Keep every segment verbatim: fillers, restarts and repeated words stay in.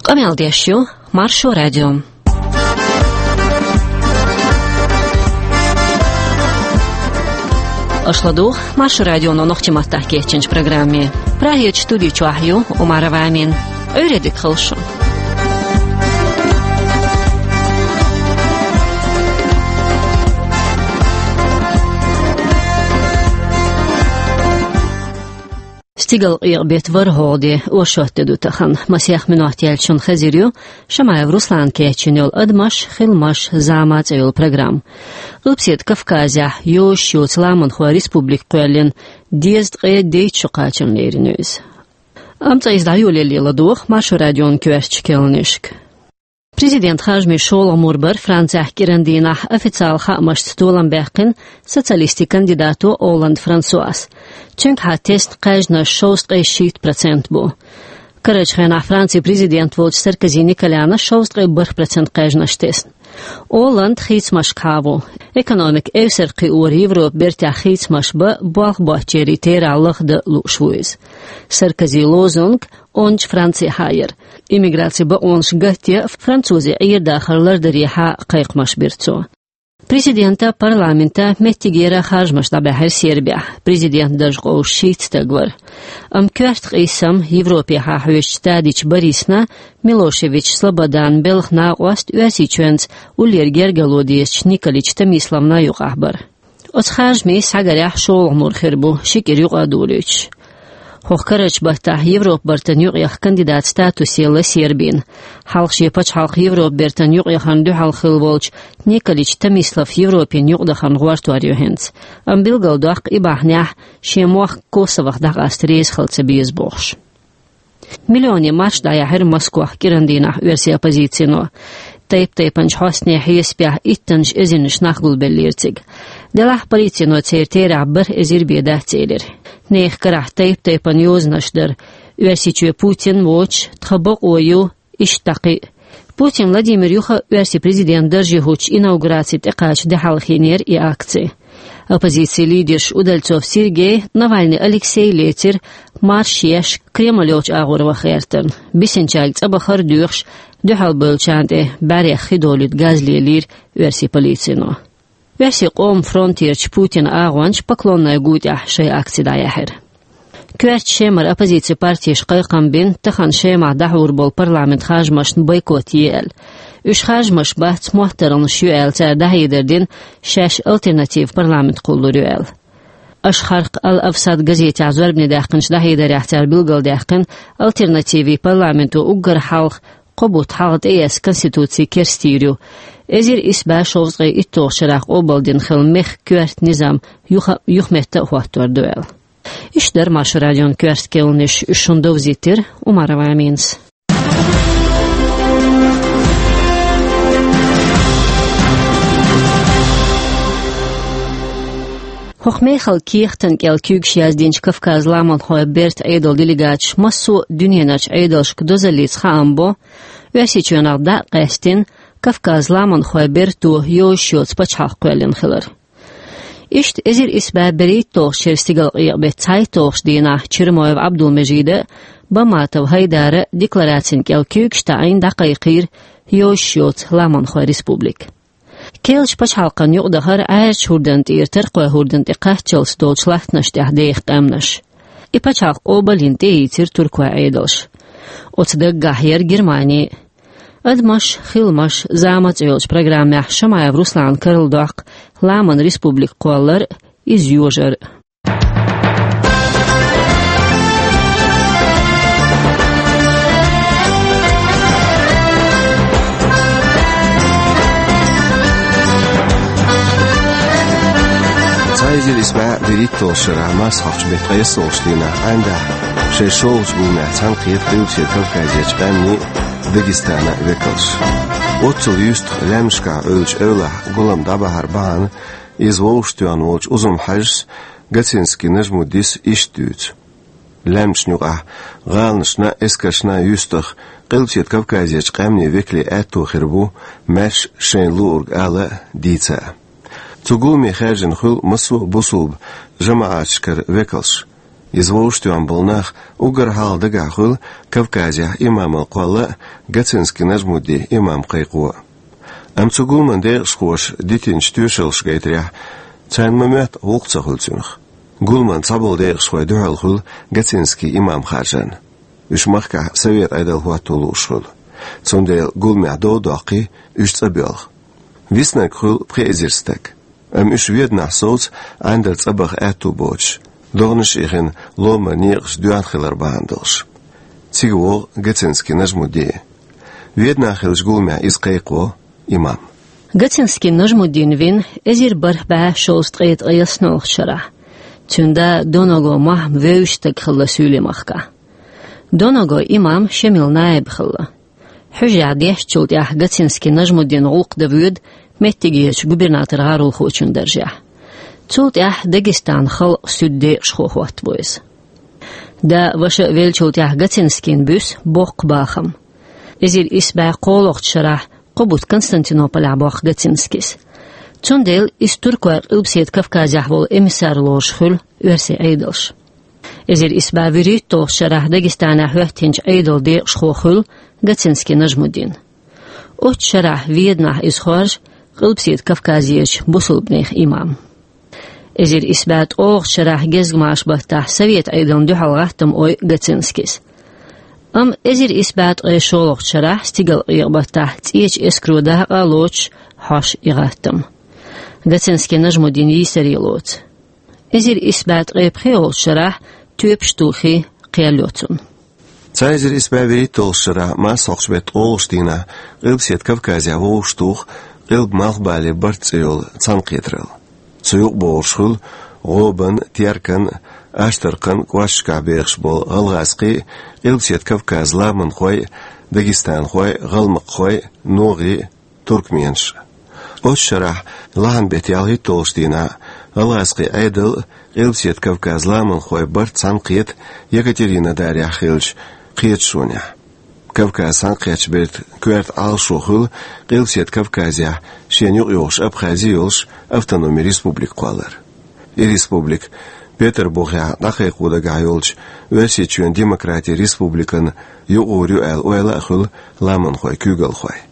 Къамел деш ю Маршо радио. Аша ладугӀу Маршо радионо нохчийн маттахь кечйинчу программе. Прагерчу студи чохь ю Умарова Амина. Ӏуьйре дика хуьлда шун. Стигалкъекъа-беттан ворхӀалгӀа де, оршот де ду тахана. Масех минот яьлча шуна хезар ю Шамаев Руслана кечйина йолу «Адамаш, хиламаш, зама» цӀе йолу программа. Къилбаседа Кавказехь йозуш йоцу ламанхойн республика кхоьллина дезткъе дейтта шо кхачарна лерина ю иза. Амма цкъа иза дӀайолале ладогӀа Маршо радион коьртачу керланашка. Президентан харжамийн шолгӀа мур бара Францехь кӀиран дийнахь официалан хаамашца толам баьккхина социалистийн кандидато Олланд Франсуас. Цуьнгахьа тесна кхаьжнаш шовзткъе шийтта процент бу. Карарчу хенахь Францин президент волчу Саркози Николяна шовзткъе бархӀ процент кхаьжнаш тесна. Олланд хийцамашкахьа ву. Экономика эвсара кхиоран Европан бертехь хийцамаш бан болх боцчеран терахь лахдан лууш ву иза. Саркозин лозунг онда Францехьа яра. Иммиграцин бакъонаш гатъян, французийн Ӏер-дахар лардарехьа кхайкхамаш бира цо. Президентан, парламентан меттигера харжамаш дӀабаьхьира Сербехь. Президентан дарж къовсуш шийтта стаг вара. Амма коьрта къийсам, Европехьа хьоьжучу Тадич Борисна, Милошевич Слободана белхан накъост Оьрсийчоьнца уллера гергарло дезачу Николич Томиславна юкъахь бара. Оцу харжамийн схьагарехь шолгӀа мур хир бу, ши кӀира юкъа а долуьйтуш. ХӀокху карарчу баттахь Европан бертан юкъаяккха кандидатан статус елла Сербина. Хьалха шен пачхьалкх Европан бертан юкъаяхарна дуьхьал хилла волчу Николич Томислав Европина юкъадахарна гӀортор ю хӀинца. Амма билгалдоккху и бахьанехь шен мохк Косовох дӀакъаста реза хила ца беза бохуш. Миллионийн марш дӀаяьхьира Москвахь кӀиран дийнахь оьрсийн оппозицино. Тайп-тайпанчу хьостане хьесапехь иттаннаш эзарнаш нах гулбеллера цига. Делахь полицино церан терахь бархӀ эзар бен дац элира. Нехан карахь тайп-тайпана йозанаш дара. Оьрсийчоь Путин воцуш, тхан бакъо ю, иштта дӀа кхин а. Путин Владимир юха оьрсийн президентан дарже хӀуттучу инаугурацин тӀекхача де хьалхийнера и акци. Оппозицин лидерш Удальцов Сергей, Навальный Алексей лецира марш еш Кремль йолчу агӀор ваха гӀертарна. Бисинчаьрга цӀабахар а доьхуш, дуьхьалбевллачарна тӀе бӀаьрех хи долуьйту газ лелийра оьрсийн полицино. Оьрсийн къоман фронтерчу Путинан агӀончаша Поклонная гу тӀехь шайн акци дӀаяьхьира. Коьртачу Шемара оппозицин партеша кхайкхам бина, тахана Шемахь дӀахьур болу парламентан харжамашна бойкот е аьлла. Уьш харжамаш бац, моттаргӀанаш ю аьлла, цара дӀахьедар дина, шаьш альтернативан парламент кхуллур ю аьлла. Ашхарк Ал-Авсат газетехь зорбане даьккхинчу дӀахьедарехь цара билгалдаьккхина, альтернативин парламенто уггар хьалха кхо бутт хьалха тӀеэцна конституци керстийр ю. Эзар исс бӀе шовзткъе итталгӀачу шарахь къобалдина хилла мехкан коьрта низам юха-, юхаметта а хӀоттор ду аьлла. Иштта дара Маршо радион коьрта керланаш, уьш шуна довзийтира Умарова Аминас. ХӀокху мехала кехатан кӀел куьйгаш яздинчу Кавказан ламанхойн бертан Ӏедалан делегаташ массо а дуьненарчу Ӏедалшка дозаллица хаам бо, Оьрсийчоьнах дӀа а къаьстина, Кавказан ламанхойн берто йозуш йоцу пачхьалкх кхоьллина хилар. Иштта эзар исс бӀе берхӀитталгӀачу шеран стигалкъекъа-беттан цхьайтталгӀачу дийнахь Чермоев Ӏабдулмежида а, Баматов ХӀайдара а декларацин кӀел куьйгаш таӀийна дӀакхайкхийра йозуш йоцу ламанхойн республика. Керлачу пачхьалкхана юкъадахара Ӏаьржачу хӀордан тӀера Таркхойн хӀордан тӀе кхаччалц долчу латтанаш тӀехь деха къаьмнаш. И пачхьалкх къобалйина тӀеийцира туркойн Ӏедалша. Оцу даггахь яра Германи а. «Адамаш, хиламаш, зама» цӀе йолчу программехь Шамаев Руслана карладоккху ламанан республика кхоллар а, иза йожар а. Цхьа эзар исс бӀе берхӀитталгӀачу шарахь марсхьалдчу беттан ткъайоьсналгӀачу дийнахь Ӏаьндахь шайн шолгӀачу гуламехь цхьаьнакхета Къилбаседа Кавказерчу къаьмнийн а, Дагестанан а векалш. Оццул юьстах лаьмнашкахь Ӏуьллучу эвлахь гулам дӀабахьар бахьана иза вовшахтоьхна волчу Узун-Хьаьжас Гацинский Нажмуддис иштта дуьйцу. Лаьмнашна юкъахь гӀаланашна а, эскаршна а юьстах Къилбаседа Кавказерчу къаьмнийн векалийн аьтто хир бу маьрша шайна луург ала а, дийца а. Цу гуламе хаьржина хуьлу массо а бусулба жамаӀаташкара векалш. Иза вовшахтоьхна болу нах уггар хьалха дагахь хуьлу Кавказехь имамалла кхолла а, Гоцинский Нажмудди имам кхайкхо а. Амма цу гуламан декъашхоша дитинчу тоьшаллаш гайтарехь, царна ма-моьтту гӀуллакх ца хуьлу цуьнах. Гуламан цхьаболу декъашхой дуьхьал хуьлу Гоцинский имам харжарна. Уьш махкахь совет Ӏедал хӀотто лууш хуьлу. Цундела гуламехь дов доккхий, уьш цӀа боьлху. Виснарг хуьлу пхи эзар стаг. Амма уьш Веданахь совца Ӏандар цӀа баха аьтту боцуш, догӀанаш а хина, ломара некъаш доьхна хилар бахьана долуш. Цига вогӀу Гоцинский Нажмудди. Веданахь хиллачу гуламехь иза кхайкхо имам. Гоцинский Нажмуддин вина эзар бархӀ бӀе шовзткъе ткъаесналгӀачу шарахь. Цуьнан да Доного Махьма вевзаш стаг хилла Суьйлийн махкахь. Доного имам Шемил наиб хилла. Хьуьжарехь дешначул тӀаьхьа Гоцинский Нажмуддин гӀуллакх дан воьду меттигерчу губернатор-гӀаролхочун даржехь. Цул тӀаьхьа Дагестан халкъан суьдан декъашхо хӀоттабо иза. Да, ваша а веллачул тӀаьхьа Гоцинскийна буьсу боккха бахам. Эзар исс бӀе кхоалгӀачу шарахь кхо бутт Константинополехь боккху Гоцинскис. Цундела иза туркойн Къилбаседа Кавказехь волу эмиссар лоруш хуьлу оьрсийн Ӏедалш. Эзар исс бӀе вуьрхӀитталгӀачу шарахь Дагестанехь хӀоьттинчу Ӏедалан декъашхо хуьлу Гоцинский Нажмуддин. Оццу шарахь Веданахь иза хоржу Къилбаседа Кавказерчу бусалбанех имам. Эзар исс бӀе ткъолгӀачу шарахь гезгмаша баттахь совет Ӏедална дуьхьал гӀаттам ойу Гоцинскис. Амма эзар исс бӀе ткъе шолгӀачу шарахь стигалкъекъа баттахь цӀечу эскаро дакъа а лоцуш хьожу и гӀаттам. Гоцинский Нажмуддин йийсаре лоцу. Эзар исс бӀе ткъе пхиолгӀачу шарахь тоьпаш тухий кхел йо цунна. Цхьа эзар исс бӀе вуьрхӀитталгӀачу шарахь массахьчу беттан ткъолгӀачу дийнахь Къилбаседа Кавказехь вовшахтуху Къилба-Малхбале барт цӀе йолу цхьаьнакхетаралла. Цу юкъа богӀуш хуьлу ГӀобан, Теркан, Аштаркхан кӀошташкахь бехаш болу гӀалгӀазкхий а, Къилбаседа Кавказан ламанхой а, дагестанхой а, гӀалмакххой а, ногӀий а, туркменаш а. Оццу шарахь лахьан беттан ялхитталгӀачу дийнахь гӀалгӀазкхийн Ӏедал а, Къилбаседа Кавказан ламанхойн барт цхьаьнакхета Екатеринодарехь хиллачу кхеташонехь. Кавказ цхьаьнакхеттачу бертан коьрта Ӏалашо хуьлу Къилбаседа Кавказехь шена юкъайогӀуш Абхази йолуш автономи республика кхоллар. И республика Петарбухехь дӀакхайкхо дагахь йолчу Оьрсийчоьнан демократин республикана юкъагӀур ю аьлла ойла а хуьлу ламанхойн куьйгалхойн.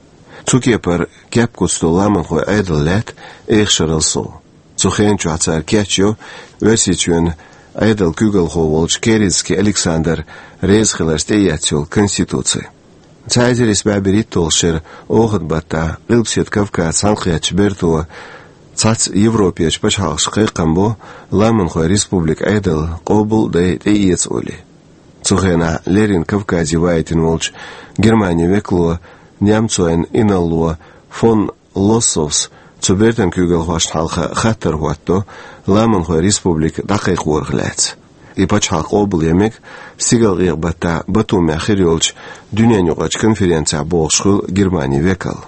Цу кепара кеп куьцдолу ламанхойн Ӏедал лаьтта эха шарал сов. Цу хенан чохь цара кечйо Оьрсийчоьнан Ӏедалан куьйгалхо волчу Керенский Александр реза хиларца тӀеэцна йолу конституци. Цхьа эзар исс бӀе берхӀитталгӀачу шеран охан баттахь Къилбаседа Кавказ цхьаьнакхеттачу берто цхьацца Европерчу пачхьалкхашка кхайкхам бо ламанхойн республикан Ӏедал къобал а дай, тӀеэца олий. Цу хенахь леррина Кавказе ваийтина волчу Германин векало, немцойн инарло фон Лоссовс цу бертан куьйгалхошна хьалха хаттар хӀоттадо ламанхойн республика дӀакхайкхорах лаьцна. И пачхьалкх къобал ян мега стигалкъекъа баттахь Батумехь хир йолчу дуьненаюкъарчу конференцехь, бохуш хуьлу Германин векал.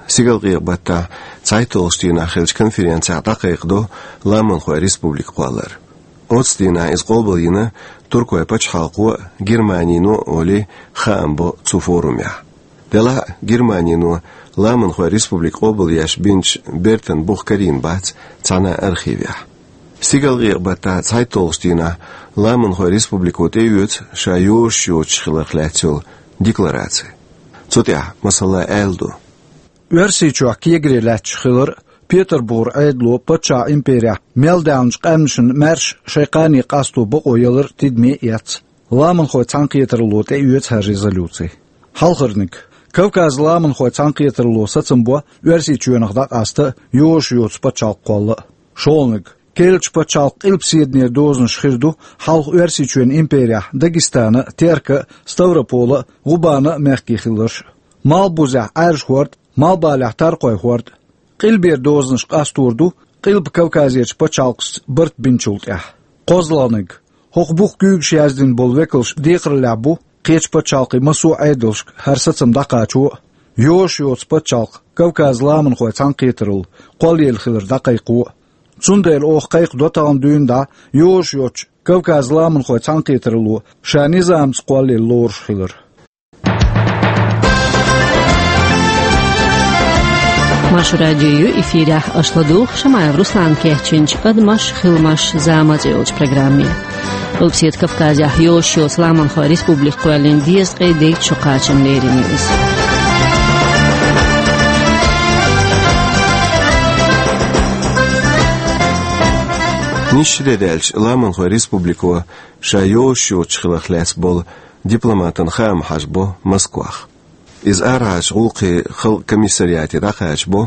Стигалкъекъа баттахь цхьайтталгӀачу дийнахь хиллачу конференцехь дӀакхайкхадо ламанхойн республика кхоллар. Оццу дийнахь иза къобал йина туркойн пачхьалкхо а, Германино а олий, хаам бо цу форумехь. Делахь а Германино ламанхойн республика къобал еш бинчу бертан бух карийна бац цхьана а архивехь. Стигалкъекъа баттахь цхьайтталгӀачу дийнахь ламанхойн республико тӀеоьцу ша йозуш йоцуш хиларх лаьцна йолу деклараци. Цу тӀехь, масала, аьлла ду: Оьрсийчохь кегаре лаьтташ хилар а, Петарбухара Ӏедало паччахьан имперехь мел даьхначу къаьмнашна маьрша шайн кхане къасто бакъо ялар а тидаме а эцна, ламанхойн цхьаьнакхетаралло тӀеоьцу хӀара резолюци. Хьалхарниг. Кавказан ламанхойн цхьаьнакхетаралло сацам бо Оьрсийчоьнах дӀакъаста йозуш йоцу пачхьалкх кхолла а. ШолгӀаниг. Керлачу пачхьалкхан къилбаседанера дозанаш хир ду хьалха Оьрсийчоьнан имперехь Дагестана а, Терка а, Ставропола а, ГӀубана а мехкий хиларш а. Малхбузехь Ӏаьржа хӀорд а, Малхбалехь Таркхойн хӀорд а. Къилбера дозанаш къастор ду Къилба Кавказерчу пачхьалкхашца барт бинчул тӀаьхьа. КхозлагӀниг. ХӀокху буха куьйгаш яздина болу векалш декхарлехь бу кхечу пачхьалкхийн массо а Ӏедалшка хӀара сацам дӀакхачо а, йозуш йоцу пачхьалкх Кавказан ламанхойн цхьаьнакхетаралла кхоллаелла хилар дӀакхайкхо а. Цундела оха кхайкхадо тахана дуьйна дӀа йозуш йоцчу Кавказан ламанхойн цхьаьнакхетаралло ша низамца кхоллаелла лоруш хилар. Маршо радио ю эфирехь, аша ладугӀу Шамаев Руслана кечйинчу «Адамаш, хиламаш, зама» цӀе йолчу программе. Къилбаседа Кавказехь йолуш йоцу Ламанхойн республика кхоьллина дезткъе дейтта шо кхачам лерина ю иза. Нисса де даьлча Ламанхойн республико ша йолуш йоцуш хиларх лаьцна болу дипломатан хаам хьажабо Москвахь. Иза арахьарчу гӀуллакхийн халкъан комиссариате дӀакхачабо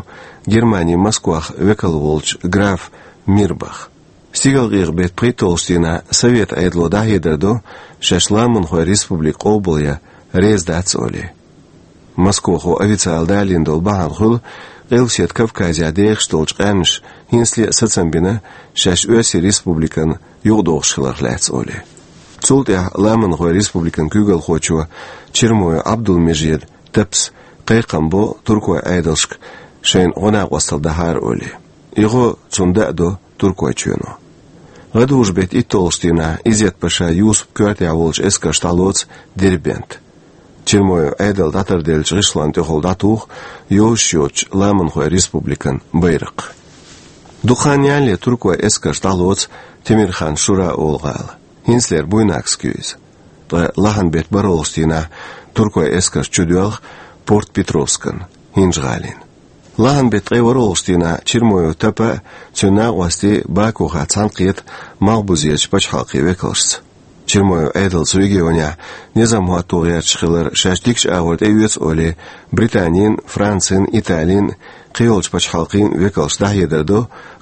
Германин Москвахь векал волчу граф Мирбах. Стигалкъекъа беттан пхийтталгӀачу дийнахь Совет Ӏедало дӀахьедар до, шаьш Ламанхойн республика къобалъян реза дац олий. Москвахо официалан далийна долу бахьана хуьлу, Къилбаседа Кавказехь дехаш долчу къаьмнаша хӀинцале а сацам бина, шаьш Оьрсийн республикана юкъадохуш хиларх лаьцна олий. Цул тӀаьхьа Ламанхойн республикан куьйгалхочо Чермоев Ӏабдулмежида Тапас кхайкхам бо туркойн Ӏедалшка, шайна гӀо-накъосталла дахьара олий. И гӀо цунна даа до Туркойчоьно. ГӀадужу беттан итталгӀачу дийнахь Изет-паша Юсупан коьртехь волчу эскарша дӀалоцу Дербент. Чермоев Ӏедал дӀатарделлачу гӀишлонна тӀехула дӀатуху йолуш йоцучу Ламанхойн республикан байракх. Дукха хан ялале туркойн эскарша дӀалоцу Темирхан-Шура олу гӀала. ХӀинцалера Буйнакск ю иза. Ткъа лахьан беттан бархӀалгӀачу дийнахь туркойн эскарш чудоьлху Порт-Петровскана, ХӀинжа-ГӀалина. Лахьан беттан ткъе ворхӀалгӀачу дийнахь Чермоев Тапа а, цуьнан накъостий а Бакухахь цхьаьнакхета Малхбузерчу пачхьалкхийн векалшца. Чермоев Ӏедал цу регионехь низам хӀотто гӀерташ хилар шаьш дикачу агӀор тӀеоьцу олий, Британин, Францин, Италин, кхийолчу пачхьалкхийн векалша дӀахьедар до,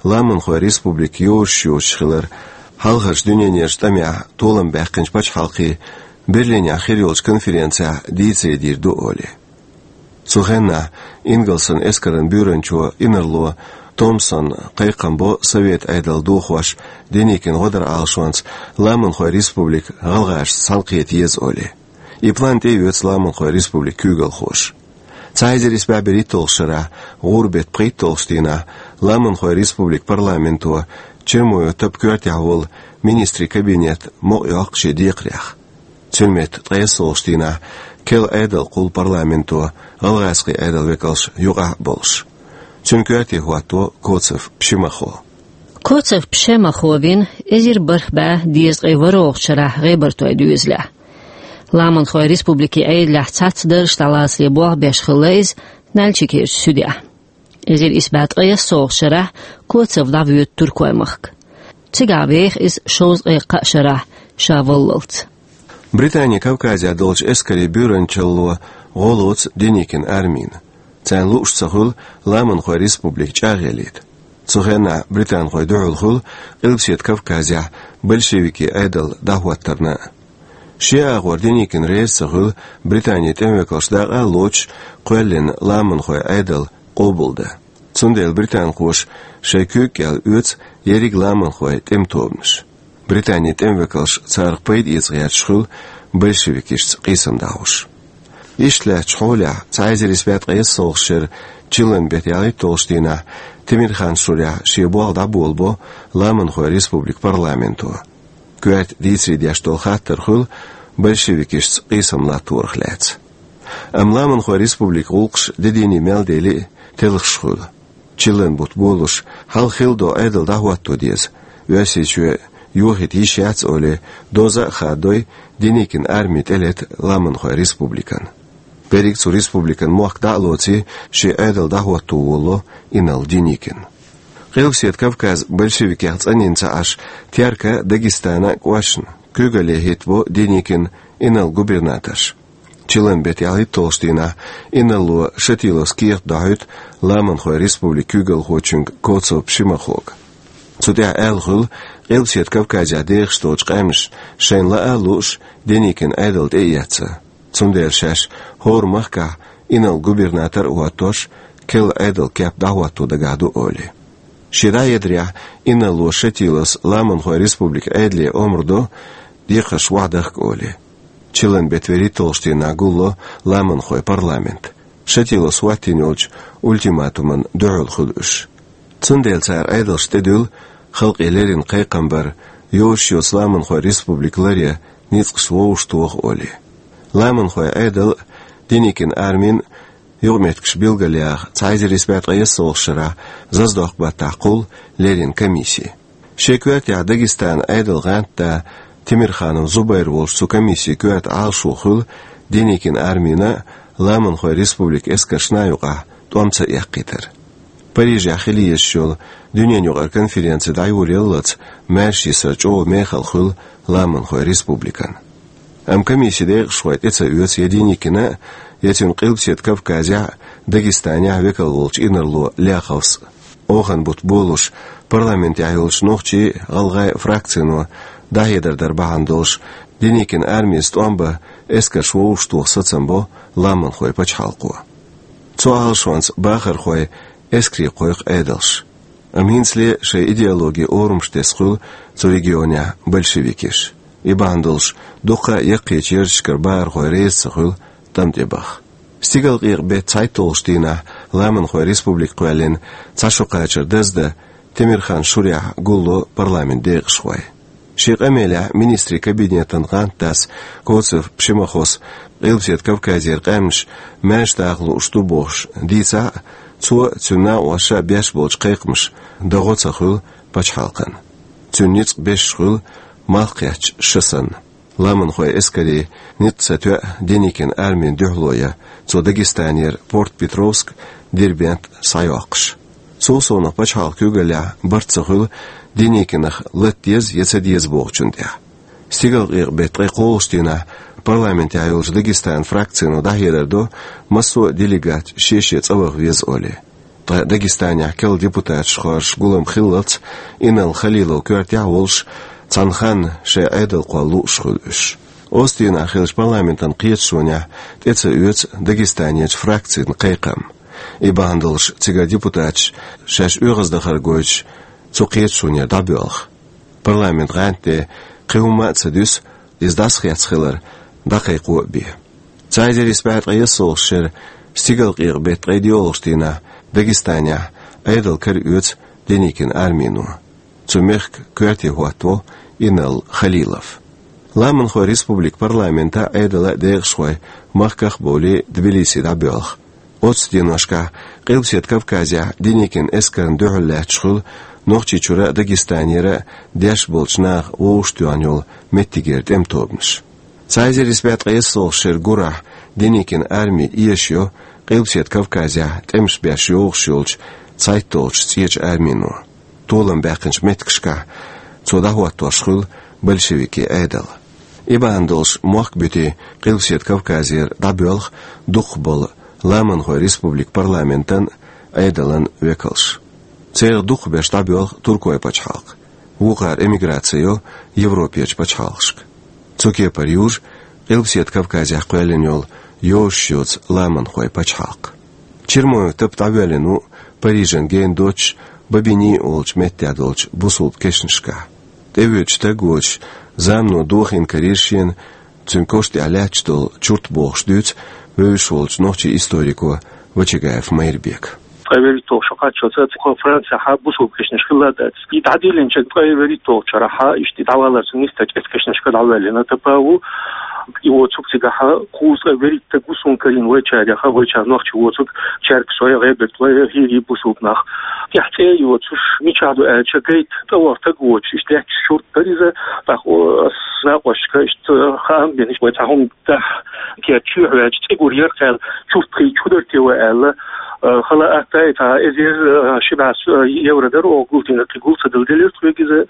Ламанхойн республика йозуш йоцуш хилар хьалхарчу дуьненан тӀамехь толам баьккхинчу пачхьалкхийн Берлинехь хир йолчу конференцехь дийцаре дийр ду олий. Цу хенахь ингалсан эскаран буьйранчо инарло Томпсон кхайкхам бо Совет Ӏедал дохош Деникин гӀодаран Ӏалашонца Ламанхойн республика гӀалгӀашца цхьаьнакхета еза олий. И план тӀеоьцу Ламанхойн республикан куьйгалхоша. Цхьа эзар исс бӀе берхӀитталгӀачу шарахь гӀуран беттан пхийтталгӀачу дийнахь Ламанхойн республикан парламенто Чермоев Тапан коьртехь волу министрийн кабинет мукъайоккху шен декхарех. Цуьнан метта ткъе иссалгӀачу дийнахь керла Ӏедал кхуллу парламенто, гӀалгӀазкхийн Ӏедалан векалш юкъахь а болуш. Цуьнан коьрте хӀотто Коцев Пшемахо. Коцев Пшемахо вина эзар бархӀ бӀе дезткъе ворхӀалгӀачу шарахь ГӀебартойн доьзалехь. Ламанхойн республикин Ӏедалехь цхьацца даржаш дӀалацале болх беш хилла иза Нальчикерчу суьдехь. Эзар исс бӀе ткъе иссалгӀачу шарахь Коцев дӀавоьду Туркойн махка. Цигахь веха иза шовзткъе кхаа шарахь ша валлалц. Британин Кавказехь долчу эскарийн буьйранчалло гӀо лоцу Деникин армина. Царна лууш ца хуьлу Ламанхойн республика чӀагӀъялийта. Цу хенахь британхойн дуьхьал хуьлу Къилбаседа Кавказехь большевикийн Ӏедал дӀахӀоттарна а. Шен агӀор Деникин реза ца хуьлу Британин тӀеман векалш дакъа а лоцуш кхоьллина Ламанхойн Ӏедал къобалдан. Цундела британхоша шайн куьйга кӀел оьцу ерриг ламанхойн тӀеман тобанаш. Британин тӀеман векалш царах пайда эца гӀерташ хуьлу большевикашца къийсам дӀахьош. Иштта лаьттачу хьолехь, цхьа эзар исс бӀе ткъе иссалгӀачу шеран чиллан беттан ялхитталгӀачу дийнахь Темирхан-Шурехь шен болх дӀаболабо Ламанхойн республикан парламенто. Коьрта дийцаре деш долу хаттар хуьлу большевикашца къийсам латторах лаьцна. Амма Ламанхойн республикан гӀуллакхаш де дийне мел дели а, телхаш хуьлу. Чиллан бутт болуш, хьалха хилла долу Ӏедал дӀахӀотто деза, Оьрсийчоь йохийта йиш яц олий, доза а хадой, Деникин арми тӀелета Ламанхойн республикана. Берриг цу республикан мохк дӀа а лоций, шен Ӏедал дӀахӀотто волало инарла Деникин. Къилбаседа Кавказ большевикех цӀанйина ца Ӏаш, Теркан а, Дагестанан а кӀошташна куьйгалле хӀиттабо Деникин инарла губернаторш. Чиллан беттан ялхитталгӀачу дийнахь инарло Шатиловс кехат дохьуьйту Ламанхойн республикан куьйгалхочуьнга Коцев Пшемахога. Цу тӀехь аьлла хуьлу, Къилбаседа Кавказехь дехаш долчу къаьмнаша шайна лаа а лууш, Деникин Ӏедал тӀе а эцна. Цундела шаьш хӀора махкахь инарла губернатор а хӀоттош, керла Ӏедалан кеп дӀахӀотто дагахь ду олий. Шен дӀахьедарехь инарло Шатиловс Ламанхойн республикан Ӏедале омра до декхарш охьадахка олий. Чиллан беттан вуьрхӀитталгӀачу дийнахь гулло Ламанхойн парламент. Шатиловс хӀоттийна йолчу ультиматумна дуьхьал хуьлу уьш. Цундела цара Ӏедалшна тӀедуьллу халкъе леррина кхайкхам бар, йозуш йоцу Ламанхойн республика ларъян ницкъаш вовшахтоха олий. Ламанхойн Ӏедал а, Деникин армин а юкъаметтигаш билгалъяха цхьа эзар исс бӀе ткъе иссалгӀачу шарахь Заздокъ-баттахь кхуллу леррина комисси. Шен коьртехь Дагестанан Ӏедалан гӀантда Темирханов Зубайр волчу цу комиссин коьрта Ӏалашо хуьлу Деникин армина а, Ламанхойн республикан эскаршна а юкъахь тӀом ца эккхийтар. Парижехь хила езаш йолу дуьненан юкъара конференци дӀайолаяллалц, маьрша йисар чӀогӀа мехала хуьлу Ламанхойн республикана. Амма комиссин декъашхой тӀе ца оьцу я Деникина а, я цуьнан Къилбаседа Кавказехь а, Дагестанехь а векал волчу инарло Ляховс а. Оханан бутт болуш, парламентехь йолчу нохчийн а, гӀалгӀайн а фракцино дӀахьедар дар бахьана долуш, Деникин армица тӀом бан эскарш вовшахтоха сацам бо Ламанхойн пачхьалкхо. Цу Ӏалашонца бахархой эскаре кхойкху Ӏедалш. Амма хӀинцале шайн идеологин орам тесна хуьлу цу регионехь большевикаш. И бахьана долуш дуккха а яккхийчу ярташкара бахархой реза ца хуьлу тӀам тӀе баха. Стигалкъекъа-беттан цхьайтталгӀачу дийнахь Ламанхойн республика кхоьллина цхьа шо кхачар даздан Темирхан шурехь гулло парламентан декъашхой. Шен къамелехь министрийн кабинетан гӀантдас Коцев Пшемахос Къилбаседа Кавказера къаьмнаш маьрша даха лууш ду бохуш дийцахь а, цо а, цуьнан накъосташа а беш болчу кхайкхамаша дан гӀо ца хуьлу пачхьалкхана. Цуьнан ницкъ беш хуьлу малх кхеттачу шан санна. Ламанхойн эскарийн ницкъ ца тоьа Деникин армина дуьхьало ян, цо Дагестанера Порт-Петровск, Дербент схьайоккхуш. Цул совнаха пачхьалкхан куьйгаллехь барт ца хуьлу Деникинах лата деза я ца деза бохучунна тӀехь. Стигалкъекъа-беттан ткъе кхоалгӀачу дийнахь парламентехь йолчу Дагестанан фракцино дӀахьедар до, массо а делегат шен-шен цӀа ваха веза олий. Ткъа Дагестанехь керла депутаташ хоржуш гулам хиллалц, Инал Халилов коьртехь а волуш, цхьана ханна шайн Ӏедал кхолла лууш хуьлу уьш. Оццу дийнахь хиллачу парламентан кхеташонехь тӀе ца оьцу Дагестанерчу фракцин кхайкхам. И бахьана долуш цигара депутаташ шаьш оьгӀаздахар гойтуш цу кхеташонера дӀабоьлху. Парламентан гӀантде кхин хӀумма а ца дуьсу, иза дӀасахецна хилар дӀакхайкхо а бен. Цхьа эзар исс бӀе ткъе ялхалгӀачу шеран Стигалкъекъа-беттан ткъе доьалгӀачу дийнахь Дагестанехь Ӏедал кара оьцу Деникин армино. Цу мехкан коьрте хӀоттаво Инал Халилов. Ламанхойн республикан парламентан а, Ӏедалан а декъашхой махках а бовлий Тбилиси дӀабоьлху. Оццу деношкахь Къилбаседа Кавказехь Деникин эскарна дуьхьал лаьтташ хуьлу Нохчийчуьра а, Дагестанера а дешна болчу наха вовшахтоьхна йолу меттигера тӀеман тобанаш. Цхьа эзар исс бӀе ткъе ялхалгӀачу шеран гурахь Деникин арми эшайо Къилбаседа Кавказехь тӀемаш беш йогӀуш йолчу цхьайтталгӀачу ЦӀечу армино. Толам баьккхинчу меттигашкахь цо дӀахӀоттош хуьлу большевикийн Ӏедал. И бахьана долуш мохк буьтий Къилбаседа Кавказера дӀабоьлху дукхахболу Ламанхойн республикан парламентан а, Ӏедалан а векалш. Царах дукхахберш дӀабоьлху Туркойн пачхьалкх. Вукхара эмиграци йо Европерчу пачхьалкхашка. Цу кепара южу Къилбаседа Кавказехь кхоьллина йолу йозуш йоцу Ламанхойн пачхьалкх. Чермоев Тапа дӀавоьллина ву Парижан гена доццуш Бобини олучу меттехь долчу бусулба кешнашкахь. ТӀевоьдуш стаг воцуш, замано дохийна карийра шена, цуьнан коша тӀехь лаьтташ долу чурт бохуш дуьйцу вевзаш волчу нохчийн историко Вачагаев Майрбека. Ткъе вуьрхӀитталгӀа шо кхаччалц цу Францехь бусулба кешнаш хилла дац. И дӀадиллинчу ткъе вуьрхӀитталгӀачу шарахь иштта дӀавалар цуьнан нисдачу эцу кешнашка дӀавоьллина Тапа ву. И воцург цигахь кхузткъе вуьрхӀитта стаг ву суна карийна вайчарех, вайчара нохчий воцург, Чергсой, ГӀебертвой, ХӀирий бусулба нах. ТӀехь цӀе а йоцуш, мичахь ду аьлча, гайта тӀе вахар стаг воцуш, иштта лаьтташ чурт дара иза, тӀаккха ас накъосташка иштта хаам бина, иштта вай цхьа хӀума дахьа, кхечу чоьхьа ваьлча, цӀе гур яра кхел, чурт кхийча хӀун дара те вай аьлла, э, хала атта, и цхьа эзар, э, ши бӀе, э, евро дара, оха гулдина кхин гул ца дала делира тхоьга иза,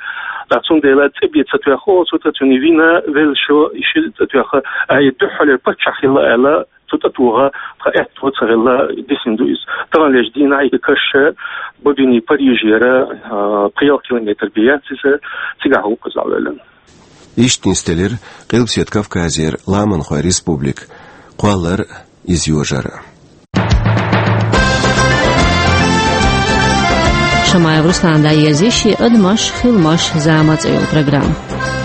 ткъа цундела цӀе бен ца тоьхна оцу тӀе, цуьнан вина велла шо, и ши цӀа тоьхна, ай, дуьххьалера паччахь хилла аьлла, цу тӀе тоха, тхан аьтто ца хилла, дисина ду иза. Таханлерчу дийнахь и каш Бобини Парижера, а, пхи-ялх километр бен яц иза, цигахь ву иза дӀавоьллина. Иштта нисделира Къилбаседа Кавказера Ламанхойн республика, кхоллар а, иза йожар а. Шамаев Руслана дӀаерзийра шен «Адамаш, хиламаш, зама» цӀе йолу программа.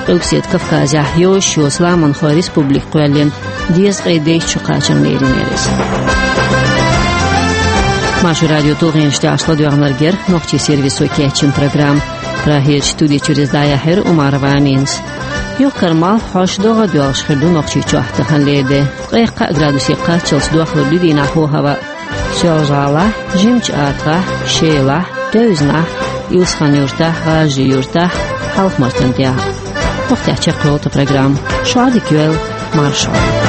Къилбаседа Кавказехь йозуш йоцу Ламанхойн республика кхоьллина дезткъе дейтта шо кхачарна лерина яра иза. Маршо радион тулгӀенаш тӀехь ладоьгӀнарг яра нохчийн сервисо кечйина программа. Прагерчу студи чуьра иза дӀаяьхьира Умарова Аминас. Юхкар малх хьош догӀа а доьлхуш хир ду Нохчийчохь таханлера де. Ткъех кхаа градусе кхаччалц дохлур ду дийнахь хӀаваъ. Соьлжа-ГӀалахь, Жимачу АтагӀахь, Шелахь, Девзанахь, Илсхан-Юртахь, ГӀажарийн-Юртахь, Хьалха-Мартан тӀехь. Вахтехь чекхйолу тхан программа. Шадерг йойла, маршалла.